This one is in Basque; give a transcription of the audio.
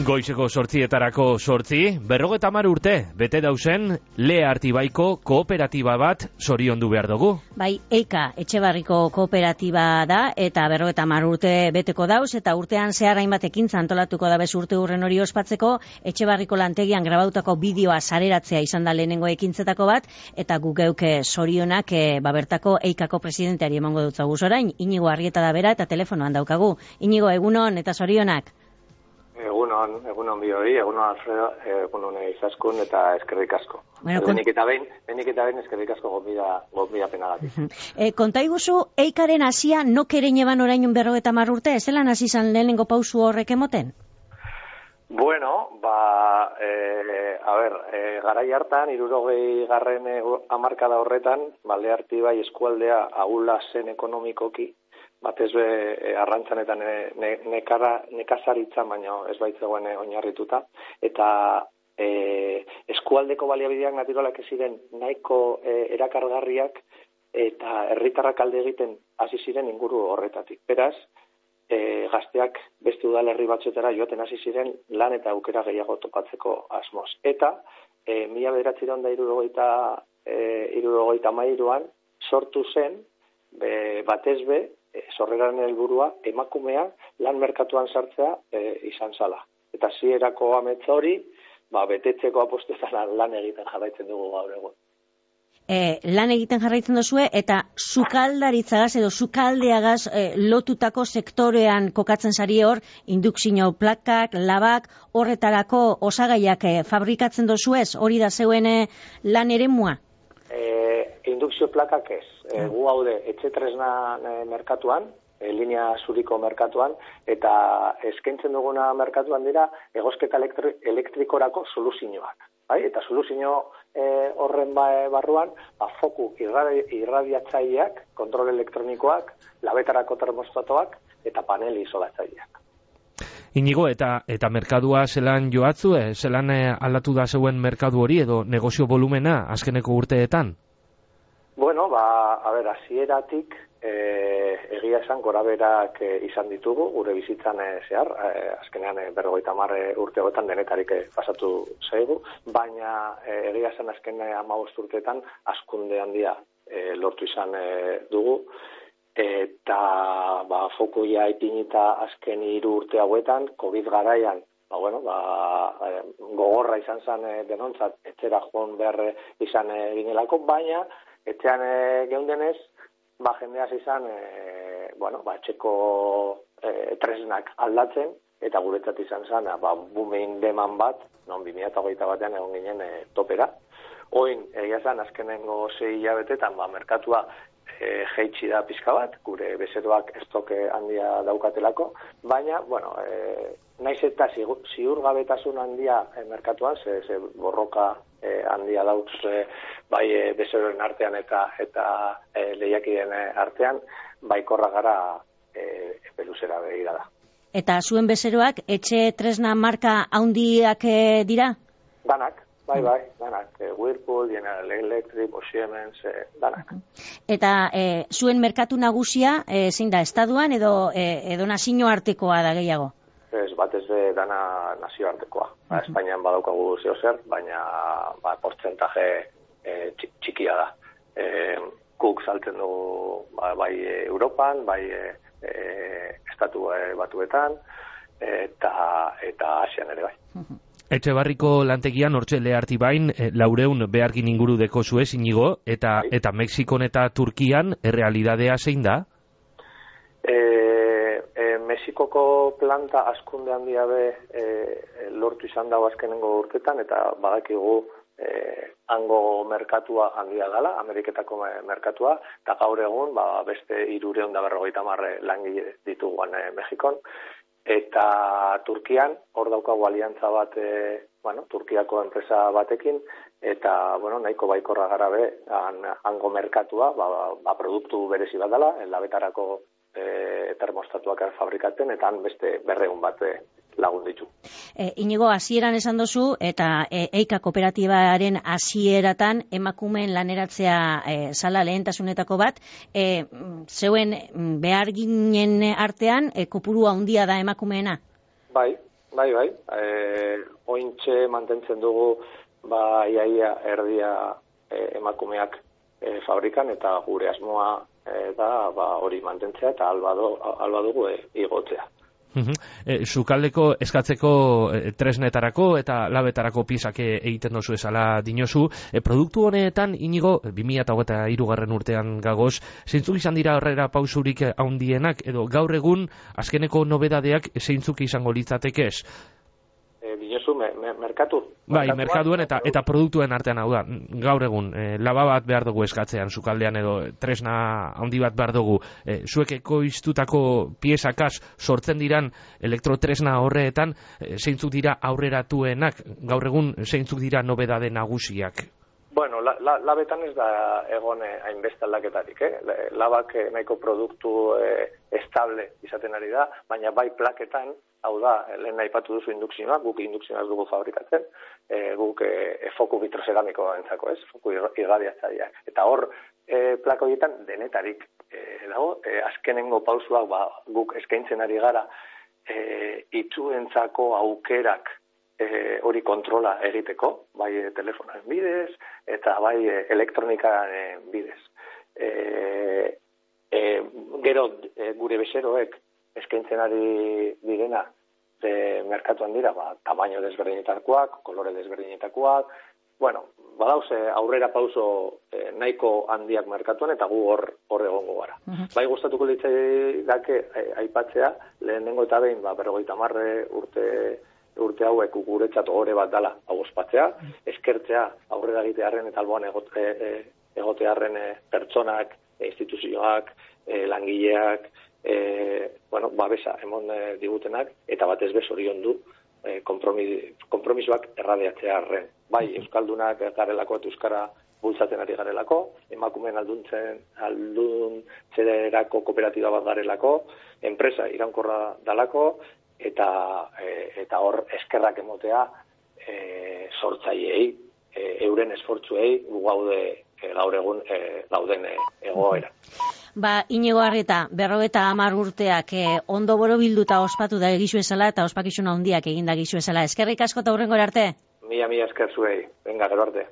Goizeko 8:40, 50 urte, bete dausen, Lea Artibaiko kooperatiba bat zoriondu behar dugu. Bai, Eika Etxebarriko kooperatiba da, eta 50 urte beteko dauz, eta urtean zehar hainbat ekintza antolatuko da bez urte hurren hori ospatzeko, Etxebarriko lantegian grabautako bideoa sareratzea izan da lehenengo ekintzetako bat, eta gu geuke zorionak bertako Eikako presidenteari emango dut zaguz orain, Inigo Arrieta da bera, eta telefonoan daukagu. Inigo, egunon eta zorionak. Egunon bioi, egunon Alfredo, egunon izaskun eta eskerrik asko. Benik eta behin eskerrik asko gonbida penagatik. Konta iguzu, Eikaren hasia nok ere neban orain 50 urte, ez zelan hasi izan lehenengo pausu horrek emoten? Bueno, garai hartan, 60. hamarkada horretan, Lea Artibai eskualdea ahula zen ekonomikoki, batez arrantzan eta nekazaritzan, baina ez baitzegoen oinarrituta, eta eskualdeko baliabideak naturalak ez ziren nahiko erakargarriak eta herritarrak alde egiten hasi ziren inguru horretatik. Beraz, gazteak beste udalerri batzuetara joaten hasi ziren lan eta aukera gehiago topatzeko asmoz. Eta 1973an sortu zen batez sorreraren helburua emakumea lan merkatuan sartzea izan zala. Eta zierako ametsa hori, betetzeko apostetan lan egiten jarraitzen dugu gaur egun. Lan egiten jarraitzen duzue, eta sukaldaritzagaz edo sukaldeagaz lotutako sektorean kokatzen zari hor, indukzio plakak, labak, horretarako osagaiak fabrikatzen duzuez, hori da zeuen lan eremua? Indukzio plakak ez. Gu haude etxetresna merkatuan, linea zuriko merkatuan, eta eskaintzen duguna merkatuan dira egosketa elektrikorako soluzioak. Eta soluzio horren barruan, foku irradiatzaileak, kontrol elektronikoak, labetarako termostatoak eta panel isolatzaileak. Inigo, eta merkadua zelan joatzu, zelan aldatu da zeuen merkadu hori edo negozio volumena azkeneko urteetan? Bueno, hasieratik egia esan goraberak izan ditugu, gure bizitzan zehar, azkenean 50 urte hauetan denetarik pasatu zaigu, baina egia esan azken 15 urteetan hazkunde handia lortu izan dugu, eta fokuia ipinita azken 3 urte hauetan, COVID garaian, gogorra izan zen denontzat, etxera joan behar izan ginelako, baina etxean geundenez, jendeaz izan, etxeko tresnak aldatzen, eta guretzat izan zen, bumein deman bat, non 2008 batean egon ginen topera. Oin, egia zen, azkenengo 6 hilabetetan, merkatua jeitsi da pixka bat, gure bezeroak estoke handia daukatelako, baina, naiz eta ziurgabetasun handia merkatuan, ze borroka handia dauz bai bezeroen artean eta lehiakideen artean, baikorra gara peluzera begira da. Eta zuen bezeroak etxe tresna marka handiak dira? Danak. Bai, danak. Whirlpool, General Electric, Siemens, danak. Eta zuen merkatu nagusia, zein da, estaduan edo nazio artekoa da gehiago? Ez, batez dana nazioartekoa. Espainian badaukagu zeozer, baina portzentaje txikia da. Guk saltzen dugu bai Europan, bai estatu batuetan, eta Asian ere bai. Etxebarriko lantegian hortxe Lea Artibain 400 behargin inguru deko zuez, Inigo, eta Mexikon eta Turkian errealidadea zein da? Mexikoko planta askunde handia lortu izan dago azkenengo urtetan, eta badakigu hango merkatua handia dela, Ameriketako merkatua, eta gaur egun beste 350 langile dituguan Mexikon. Eta Turkian, hor daukagu aliantza bat, Turkiako enpresa batekin, eta, nahiko baikorra gara hango merkatua, produktu berezi bat dela, labetarako termostatuak fabrikatzen, eta han beste 200 bat lagun ditu. Inigo, hasieran esan dozu, eta Eika kooperatibaren hasieratan emakumeen laneratzea zala lehentasunetako bat, zeuen behar ginen artean, kopuru handia da emakumeena? Bai, Bai. Ointxe mantentzen dugu, iaia erdia emakumeak fabrikan, eta gure asmoa da hori mantentzea, eta alba dugu igotzea. Sukaldeko eskatzeko tresnetarako eta labetarako piezak egiten dozu esala dinozu. Produktu honetan, Inigo, 2023 urtean gagoz, zeintzuk izan dira aurrera pausurik handienak, edo gaur egun azkeneko nobedadeak zeintzuk izango litzatekez? Dinozu, merkatu? Bai, merkatuen eta produktuen artean, hau da, gaur egun, laba bat behar dugu eskatzean, sukaldean edo tresna handi bat behar dugu. Zuek ekoiztutako piezakaz sortzen diran elektrotresna horreetan, zeintzuk dira aurreratuenak, gaur egun zeintzuk dira nobedade nagusiak? Bueno, labetan ez da egon hainbeste aldaketarik, Labak nahiko produktu estable izaten ari da, baina bai plaketan, hau da, lehen aipatu duzu indukzioa, guk indukzioa dugu fabrikatzen, guk foku vitrozeramiko entzako, foku irradiatzaileak. Eta hor, plaka horietan denetarik dago, azkenengo pausuak guk eskaintzen ari gara, itzuentzako aukerak hori kontrola egiteko, bai telefonan bidez, eta bai elektronikaren bidez. Gero gure bezeroek eskaintzen ari direna merkatuan dira, tamaino desberdinetakoak, kolore desberdinetakoak, badauz aurrera pauso nahiko handiak merkatuan, eta gu hor egongo gara. Bai gustatuko litzaiake aipatzea, lehenengo eta behin, 50 urte hauek guretzat ohore bat dala hau ospatzea, eskertzea aurrera egitearren eta alboan egotearren pertsonak, instituzioak, langileak, babesa emon digutenak, eta batez bez zoriondu konpromisoak erradiatzearren. Bai, euskaldunak garelako eta euskara bultzatzen ari garelako, emakumeen alduntzerako kooperatiba bat garelako, enpresa iraunkorra dalako, eta hor eskerrak emotea sortzaileei, euren esfortzuei gaude gaur egun gauden egoera. Inigo Arrieta, 50 urteak ondo borobilduta ospatu da egizu esala eta ospakizuna handiak eginda egizu esala. Eskerrik asko eta hurrengora arte. Mila esker zuei. Venga, gero arte.